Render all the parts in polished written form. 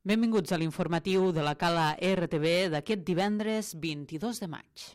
Benvinguts a l'informatiu de la Cala RTV d'aquest divendres 22 de maig.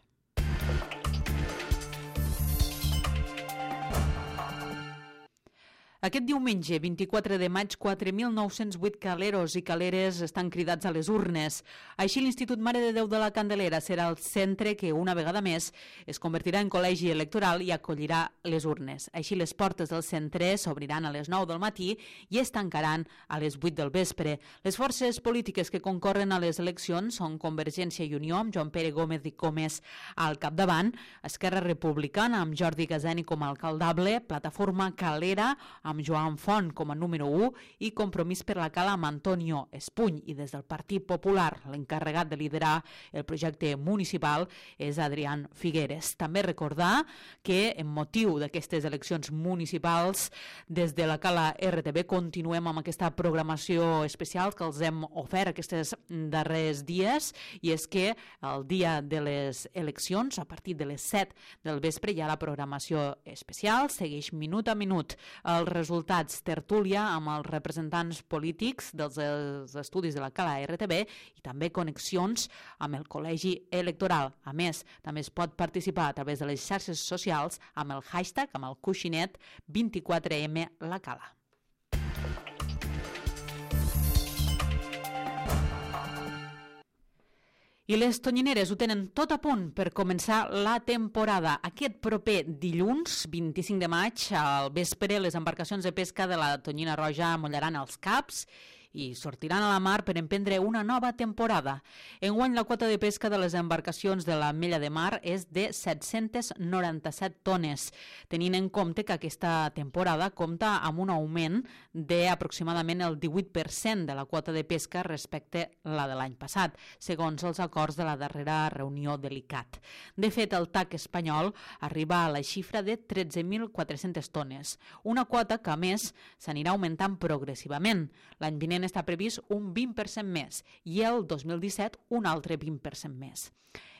Aquest diumenge, 24 de maig, 4.908 caleros i caleres estan cridats a les urnes. Així, l'Institut Mare de Déu de la Candelera serà el centre que, una vegada més, es convertirà en col·legi electoral i acollirà les urnes. Així, les portes del centre s'obriran a les 9 del matí i es tancaran a les 8 del vespre. Les forces polítiques que concorren a les eleccions són Convergència i Unió, amb Joan Pere Gómez i Gómez al capdavant, Esquerra Republicana, amb Jordi Gazani com a alcaldable, Plataforma Calera, amb Joan Font com a número 1 i Compromís per la Cala amb Antonio Espuny. I des del Partit Popular, l'encarregat de liderar el projecte municipal és Adrián Figueres. També recordar que en motiu d'aquestes eleccions municipals, des de la Cala RTV continuem amb aquesta programació especial que els hem ofert aquests darrers dies, i és que el dia de les eleccions, a partir de les 7 del vespre, hi ha la programació especial, segueix minut a minut el resultats, tertúlia amb els representants polítics dels estudis de la Cala RTV i també connexions amb el col·legi electoral. A més, també es pot participar a través de les xarxes socials amb el hashtag, amb el coixinet 24M La Cala. I les tonyineres ho tenen tot a punt per començar la temporada. Aquest proper dilluns, 25 de maig, al vespre, les embarcacions de pesca de la Tonyina Roja mollaran els caps i sortiran a la mar per emprendre una nova temporada. Enguany, la quota de pesca de les embarcacions de la Mella de Mar és de 797 tones, tenint en compte que aquesta temporada compta amb un augment d'aproximadament el 18% de la quota de pesca respecte a la de l'any passat, segons els acords de la darrera reunió de l'ICAT. De fet, el TAC espanyol arriba a la xifra de 13.400 tones, una quota que, a més, s'anirà augmentant progressivament. L'any vinent està previst un 20% més i el 2017 un altre 20% més.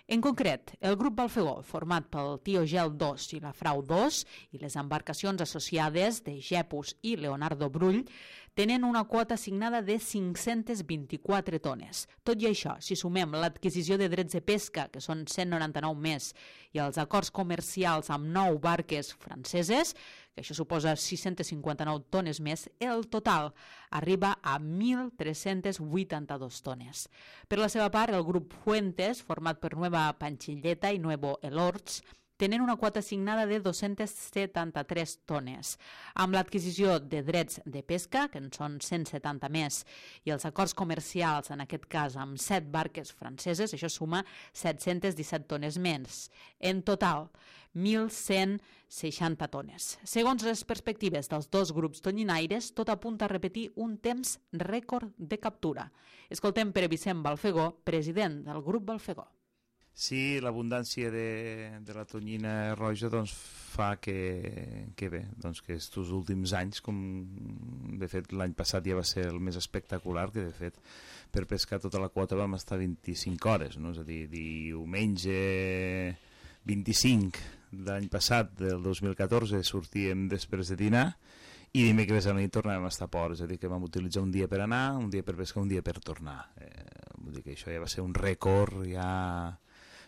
En concret, el grup Balfegó, format pel Tio Gel 2 i la Frau 2 i les embarcacions associades de Gepus i Leonardo Brull, tenen una quota assignada de 524 tones. Tot i això, si sumem l'adquisició de drets de pesca, que són 199 més, i els acords comercials amb 9 barques franceses, que això suposa 659 tones més, el total arriba a 1.382 tones. Per la seva part, el grup Fuentes, format per Nueva Panchilleta i Nuevo Elorts, tenen una quota assignada de 273 tones. Amb l'adquisició de drets de pesca, que en són 170 més, i els acords comercials, en aquest cas amb 7 barques franceses, això suma 717 tones més. En total, 1.160 tones. Segons les perspectives dels dos grups tonyinaires, tot apunta a repetir un temps rècord de captura. Escoltem Pere Vicent Balfegó, president del grup Balfegó. Sí, l'abundància de la tonyina roja doncs, fa que bé, doncs que estos últims anys, com de fet l'any passat ja va ser el més espectacular, que de fet per pescar tota la quota vam estar 25 hores, no? És a dir, diumenge 25 de l'any passat, del 2014, sortíem després de dinar i dimecres a la nit tornàvem a estar a port, és a dir, que vam utilitzar un dia per anar, un dia per pescar, un dia per tornar. Vull dir que això ja va ser un rècord, ja...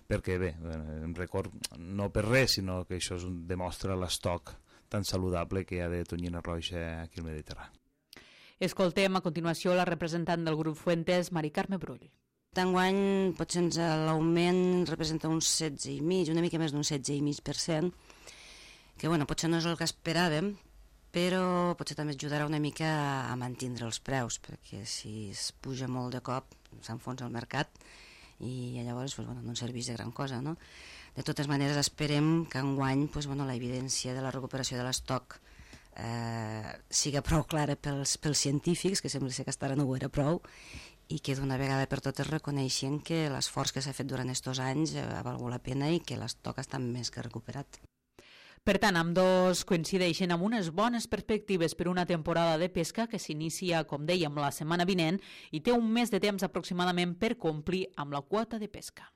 perquè bé, un rècord no per res, sinó que això demostra l'estoc tan saludable que hi ha de tonyina roja aquí al Mediterrani. Escoltem a continuació la representant del grup Fuentes, Mari Carme Brull. D'enguany potser l'augment representa un 16,5%, una mica més d'un 16,5%, que bueno, potser no és el que esperàvem, però potser també ajudarà una mica a mantenir els preus, perquè si es puja molt de cop s'enfonsa el mercat i llavors no ens serveix de gran cosa, no? De totes maneres, esperem que enguany la evidència de la recuperació de l'estoc siga prou clara pels científics, que sembla que ara no ho era prou, i que d'una vegada per totes reconeixen que l'esforç que s'ha fet durant aquests anys ha valgut la pena i que l'estoc està més que recuperat. Per tant, ambdós coincideixen amb unes bones perspectives per una temporada de pesca que s'inicia, com dèiem, la setmana vinent i té un mes de temps aproximadament per complir amb la quota de pesca.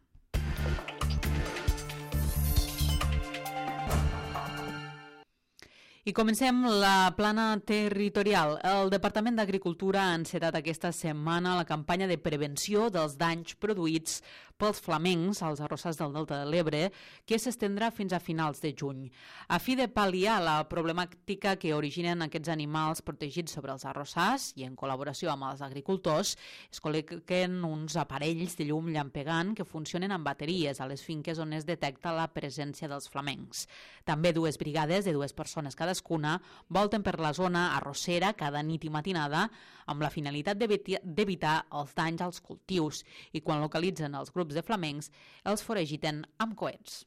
I comencem la plana territorial. El Departament d'Agricultura ha encetat aquesta setmana la campanya de prevenció dels danys produïts pels flamencs als arrossars del Delta de l'Ebre, que s'estendrà fins a finals de juny. A fi de pal·liar la problemàtica que originen aquests animals protegits sobre els arrossars i en col·laboració amb els agricultors, es col·loquen uns aparells de llum llampegant que funcionen amb bateries a les finques on es detecta la presència dels flamencs. També dues brigades de 2 persones cadascuna volten per la zona arrossera cada nit i matinada amb la finalitat d'evitar els danys als cultius i quan localitzen els grups de flamencs els foragiten amb coets.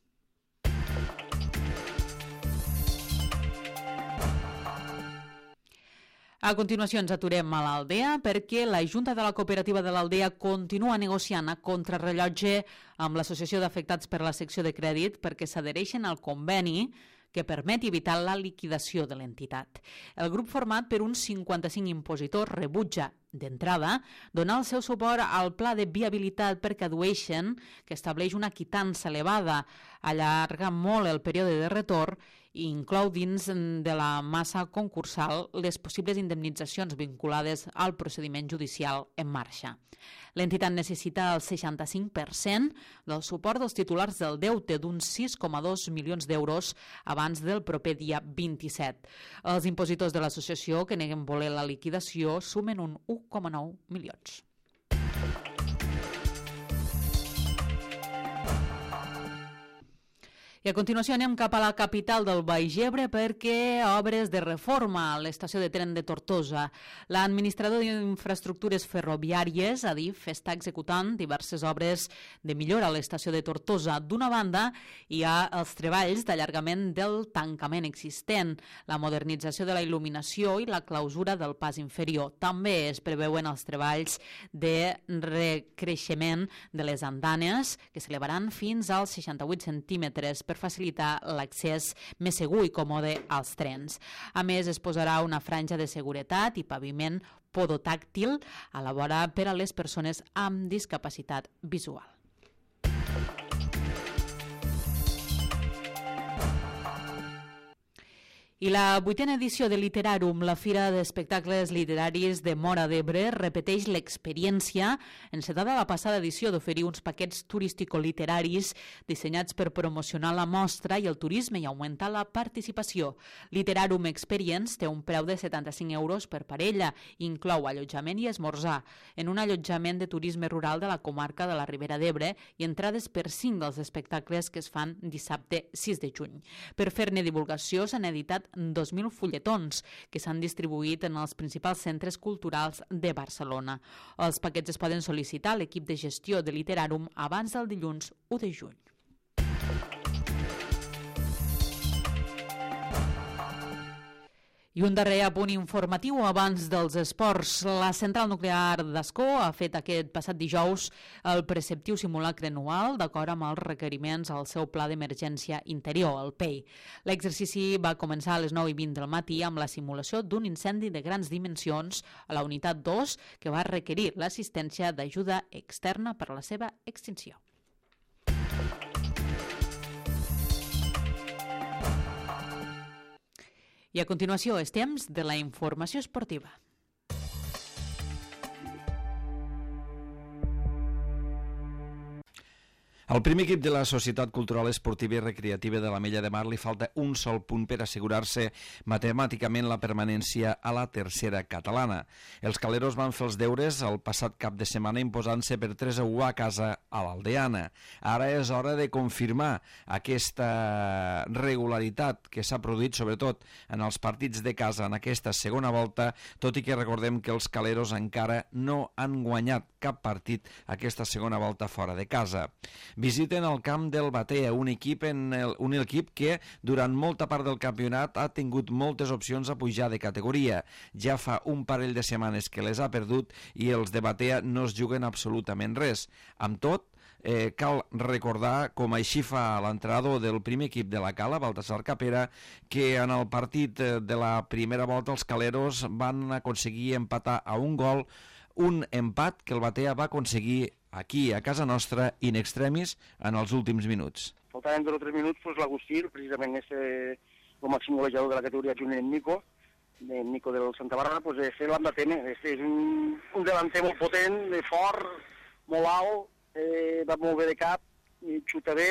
A continuació ens aturem a l'Aldea perquè la Junta de la Cooperativa de l'Aldea continua negociant a contrarrellotge amb l'Associació d'Afectats per la secció de crèdit perquè s'adhereixen al conveni que permet evitar la liquidació de l'entitat. El grup format per uns 55 impositors rebutja, d'entrada, donar el seu suport al pla de viabilitat perquè addueixen que estableix una quitança elevada, allarga molt el període de retorn i inclou dins de la massa concursal les possibles indemnitzacions vinculades al procediment judicial en marxa. L'entitat necessita el 65% del suport dels titulars del deute d'uns 6,2 milions d'euros abans del proper dia 27. Els impositors de l'associació que neguen voler la liquidació sumen un 1,9 milions. I a continuació anem cap a la capital del Baix Ebre perquè obres de reforma a l'estació de tren de Tortosa. L'administrador d'infraestructures ferroviàries, ADIF, està executant diverses obres de millora a l'estació de Tortosa. D'una banda, hi ha els treballs d'allargament del tancament existent, la modernització de la il·luminació i la clausura del pas inferior. També es preveuen els treballs de recreixement de les andanes, que s'elevaran fins als 68 centímetres per facilitar l'accés més segur i còmode als trens. A més, es posarà una franja de seguretat i paviment podotàctil a la vora per a les persones amb discapacitat visual. I la 8a edició de Literàrum, la Fira d'Espectacles Literaris de Móra d'Ebre, repeteix l'experiència encetada a la passada edició d'oferir uns paquets turístico-literaris dissenyats per promocionar la mostra i el turisme i augmentar la participació. Literàrum Experience té un preu de 75 euros per parella, inclou allotjament i esmorzar, en un allotjament de turisme rural de la comarca de la Ribera d'Ebre i entrades per 5 dels espectacles que es fan dissabte 6 de juny. Per fer-ne divulgació s'han editat 2.000 fulletons que s'han distribuït en els principals centres culturals de Barcelona. Els paquets es poden sol·licitar a l'equip de gestió de Literàrum abans del dilluns 1 de juny. I un darrer apunt informatiu abans dels esports. La central nuclear d'Ascó ha fet aquest passat dijous el preceptiu simulacre anual d'acord amb els requeriments al seu pla d'emergència interior, el PEI. L'exercici va començar a les 9:20 del matí amb la simulació d'un incendi de grans dimensions a la unitat 2 que va requerir l'assistència d'ajuda externa per a la seva extinció. I a continuació és temps de la informació esportiva. Al primer equip de la Societat Cultural Esportiva i Recreativa de l'Ametlla de Mar li falta un sol punt per assegurar-se matemàticament la permanència a la tercera catalana. Els caleros van fer els deures el passat cap de setmana imposant-se per 3-1 a casa a l'Aldeana. Ara és hora de confirmar aquesta regularitat que s'ha produït sobretot en els partits de casa en aquesta segona volta, tot i que recordem que els caleros encara no han guanyat cap partit aquesta segona volta fora de casa. Visiten el camp del Batea, un equip que durant molta part del campionat ha tingut moltes opcions a pujar de categoria. Ja fa un parell de setmanes que les ha perdut i els de Batea no es juguen absolutament res. Amb tot, cal recordar, com així fa l'entrenador del primer equip de la Cala, Baltasar Capera, que en el partit de la primera volta els caleros van aconseguir empatar a un gol, un empat que el Batea va aconseguir aquí, a casa nostra, in extremis, en els últims minuts. Faltaven 2 o 3 minuts, doncs l'Agustí, precisament el màxim golejador de la categoria junt en Nico del Santa Bàrbara, doncs l'hem de temer. És un delanter molt potent, fort, molt alt, va molt bé de cap, xuta bé,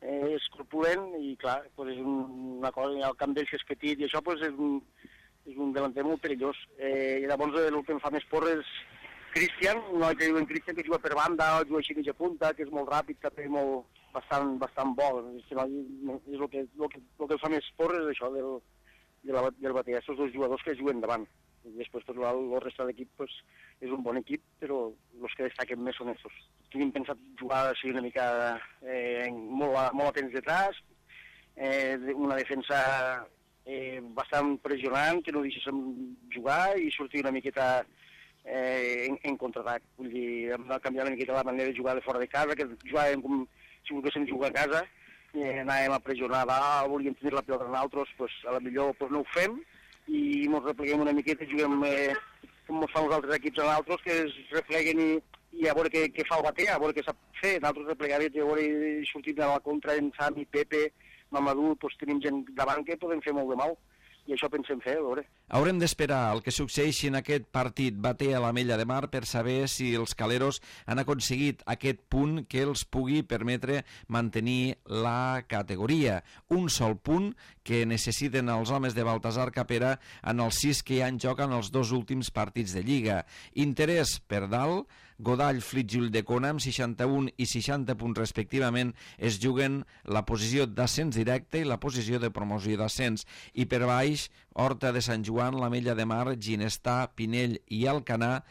és corpulent i clar, doncs és una cosa, el camp d'ell que és petit i això doncs és un delanter molt perillós. I llavors el que em fa més por és Cristian, un noi que diuen Cristian, que juga per banda, juga així mitja punta, que és molt ràpid, també bastant bo. És el que fa més por és això del Batea, aquests dos jugadors que juguen davant. I després tot el resta de l'equip és un bon equip, però els que destaquen més són estos. Tenim pensat jugar així una mica molt atents detrás, una defensa bastant pressionant, que no deixéssim jugar i sortir una miqueta en contraatac. Vull dir, hem de canviar una miqueta la manera de jugar de fora de casa, que jugàvem com si volguéssim jugar a casa, anàvem a pressionar dalt, volíem tenir la pilota en altres, a la millor no ho fem i ens repleguem una miqueta i juguem com ens fan els altres equips en altres, que es repleguen i a veure què fa el Batea, a veure què sap fer. Nosaltres replegarem i a veure sortim de la contra en Sami, Pepe, Mamadou, tenim gent davant que podem fer molt de mal. I això pensem fer, a veure. Haurem d'esperar el que succeeixi en aquest partit Batea a l'Ametlla de Mar per saber si els caleros han aconseguit aquest punt que els pugui permetre mantenir la categoria. Un sol punt que necessiten els homes de Baltasar Capera en els 6 que hi ha en joc en els 2 últims partits de Lliga. Interès per dalt, Godall, Flix i Ulldecona amb 61 i 60 punts respectivament es juguen la posició d'ascens directe i la posició de promoció d'ascens. I per baix, Horta de Sant Joan, l'Ametlla de Mar, Ginestà, Pinell i Alcanar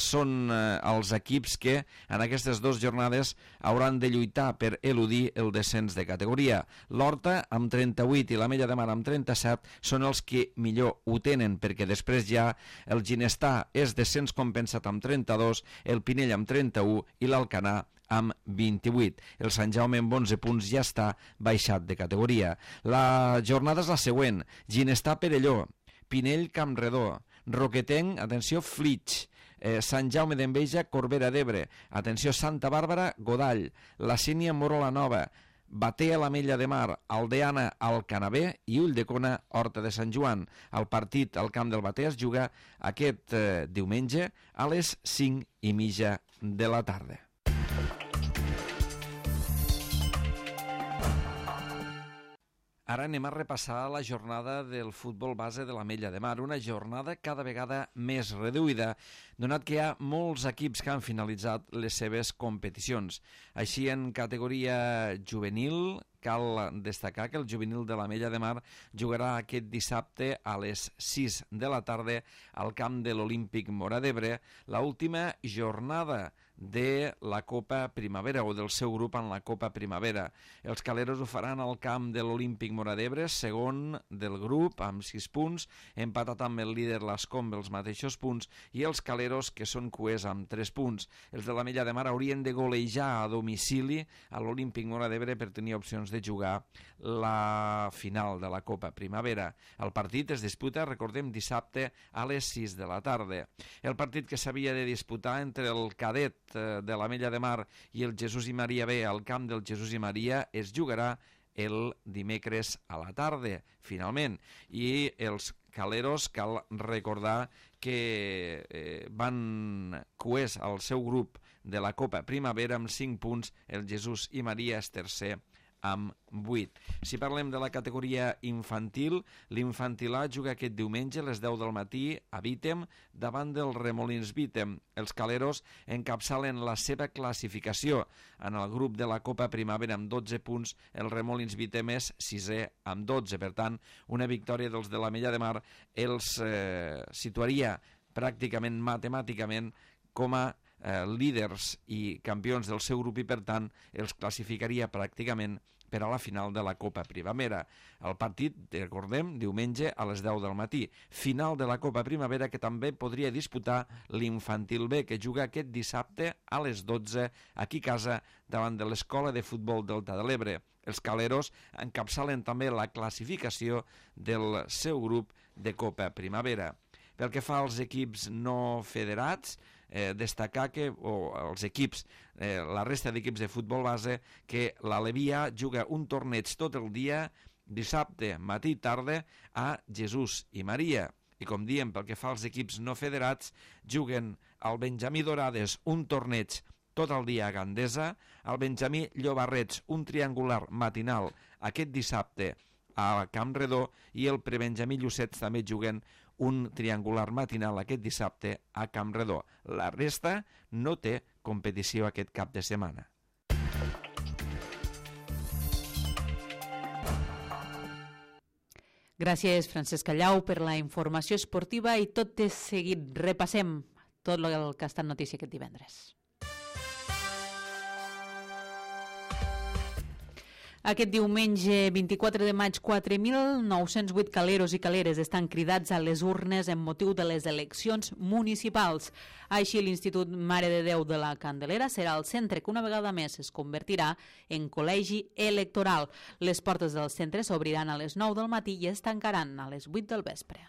són els equips que en aquestes 2 jornades hauran de lluitar per eludir el descens de categoria. L'Horta amb 38 i l'Ametlla de Mar amb 37 són els que millor ho tenen, perquè després ja el Ginestà és descens compensat amb 32, el Pinell amb 31 i l'Alcanar amb 28. El Sant Jaume amb 11 punts ja està baixat de categoria. La jornada és la següent: Ginestà, Perelló, Pinell, Campredó, Roquetenc, atenció, Flix, Sant Jaume d'Enveja, Corbera d'Ebre, atenció, Santa Bàrbara, Godall, La Sínia, Morola Nova, Batea, l'Ametlla de Mar, Aldeana, Alcanabé i Ulldecona, Horta de Sant Joan. El partit al camp del Batea es juga aquest diumenge a les 5:30 de la tarda. Ara anem a repassar la jornada del futbol base de l'Ametlla de Mar, una jornada cada vegada més reduïda, donat que hi ha molts equips que han finalitzat les seves competicions. Així, en categoria juvenil, cal destacar que el juvenil de l'Ametlla de Mar jugarà aquest dissabte a les 6 de la tarda al camp de l'Olímpic Móra d'Ebre, l'última jornada de la Copa Primavera o del seu grup en la Copa Primavera. Els caleros ho faran al camp de l'Olímpic Móra d'Ebre, segon del grup amb 6 punts, empatat amb el líder l'Escombe els mateixos punts, i els caleros que són cuers amb 3 punts. Els de l'Ametlla de Mar haurien de golejar a domicili a l'Olímpic Móra d'Ebre per tenir opcions de jugar la final de la Copa Primavera. El partit es disputa, recordem, dissabte a les 6 de la tarda. El partit que s'havia de disputar entre el cadet de l'Ametlla de Mar i el Jesús i Maria B al camp del Jesús i Maria es jugarà el dimecres a la tarda, finalment. I els caleros cal recordar que van cuers al seu grup de la Copa Primavera amb 5 punts, el Jesús i Maria és tercer amb 8. Si parlem de la categoria infantil, l'Infantil A juga aquest diumenge a les 10 del matí a Vítem davant del Remolins Vítem. Els caleros encapçalen la seva classificació. En el grup de la Copa Primavera amb 12 punts, el Remolins Vítem és 6è amb 12. Per tant, una victòria dels de l'Ametlla de Mar els situaria pràcticament matemàticament com a líders i campions del seu grup i, per tant, els classificaria pràcticament per a la final de la Copa Primavera. El partit, recordem, diumenge a les 10 del matí. Final de la Copa Primavera que també podria disputar l'Infantil B, que juga aquest dissabte a les 12 aquí a casa davant de l'Escola de Futbol Delta de l'Ebre. Els caleros encapçalen també la classificació del seu grup de Copa Primavera. Pel que fa als equips no federats, destacar que, els equips, la resta d'equips de futbol base, que l'Alevia juga un torneig tot el dia dissabte, matí i tarda, a Jesús i Maria. I com diem, pel que fa als equips no federats, juguen al Benjamí Dorades un torneig tot el dia a Gandesa, al Benjamí Llobarrets un triangular matinal aquest dissabte a Camp Redó i el Prebenjamí Llucets també juguen un triangular matinal aquest dissabte a Camp Redó. La resta no té competició aquest cap de setmana. Gràcies, Francesc Callau, per la informació esportiva i tot de seguit repassem tot el que ha estat notícia aquest divendres. Aquest diumenge 24 de maig, 4.908 caleros i caleres estan cridats a les urnes en motiu de les eleccions municipals. Així, l'Institut Mare de Déu de la Candelera serà el centre que una vegada més es convertirà en col·legi electoral. Les portes del centre s'obriran a les 9 del matí i es tancaran a les 8 del vespre.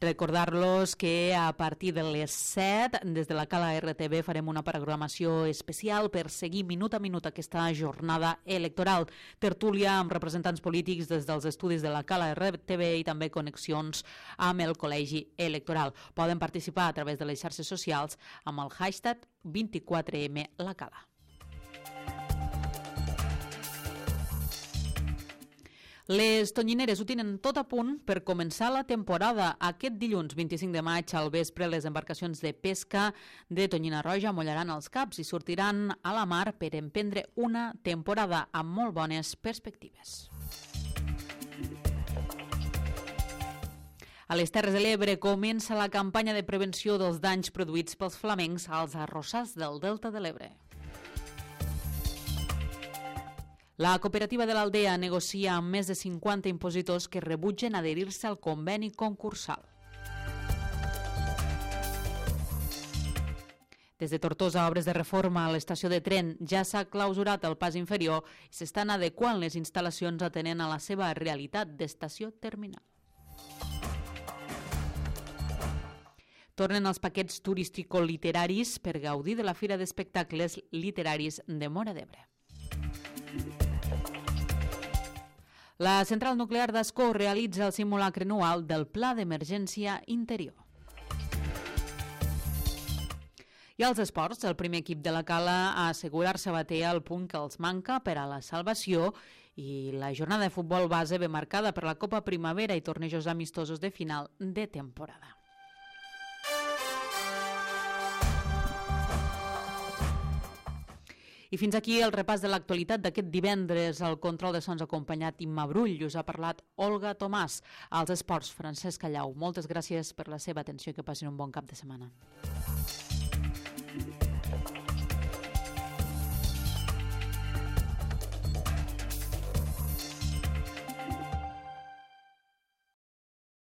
Recordar-los que a partir de les 7, des de la Cala RTV, farem una programació especial per seguir minut a minut aquesta jornada electoral. Tertúlia amb representants polítics des dels estudis de la Cala RTV i també connexions amb el Col·legi Electoral. Poden participar a través de les xarxes socials amb el hashtag 24M La Cala. Les tonyineres ho tenen tot a punt per començar la temporada. Aquest dilluns 25 de maig al vespre les embarcacions de pesca de Tonyina Roja mollaran els caps i sortiran a la mar per emprendre una temporada amb molt bones perspectives. A les Terres de l'Ebre comença la campanya de prevenció dels danys produïts pels flamencs als arrossars del Delta de l'Ebre. La cooperativa de l'Aldea negocia amb més de 50 impositors que rebutgen adherir-se al conveni concursal. Des de Tortosa, obres de reforma a l'estació de tren ja s'ha clausurat el pas inferior i s'estan adequant les instal·lacions atenent a la seva realitat d'estació terminal. Tornen els paquets turístico-literaris per gaudir de la Fira d'Espectacles Literaris de Móra d'Ebre. La central nuclear d'Ascó realitza el simulacre anual del Pla d'Emergència Interior. I als esports, el primer equip de la Cala a assegurar-se batea el punt que els manca per a la salvació i la jornada de futbol base ve marcada per la Copa Primavera i tornejos amistosos de final de temporada. I fins aquí el repàs de l'actualitat d'aquest divendres. El control de sons acompanyat Imma Brull. Us ha parlat Olga Tomàs. Als esports, Francesc Callau. Moltes gràcies per la seva atenció i que passin un bon cap de setmana.